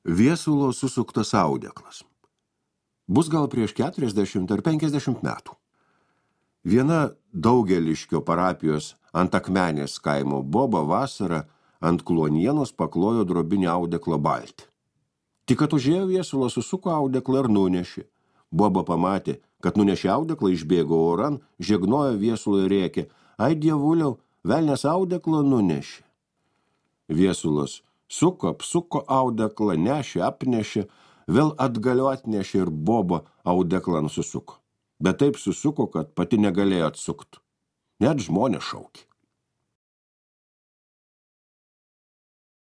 Viesulo susuktas audeklas. Bus gal prieš 40 ar 50 metų. Viena Daugeliškio parapijos ant Akmenės kaimo boba vasarą ant kluonienos paklojo drobinį audeklą baltį. Tik kad užėjo Viesulas susuko audeklą ir nunešė. Boba pamatė, kad nunešė audeklą, išbėgo oran, žegnojo Viesulą ir rėkė: "Ai, dievuliau, velnias audeklą nunešė." Viesulas suko, apsuko audeklą, nešė, apnešė, vėl atgaliu atnešė ir boba audeklą susuko. Bet taip susuko, kad pati negalėjo atsukti. Net žmonės šaukė.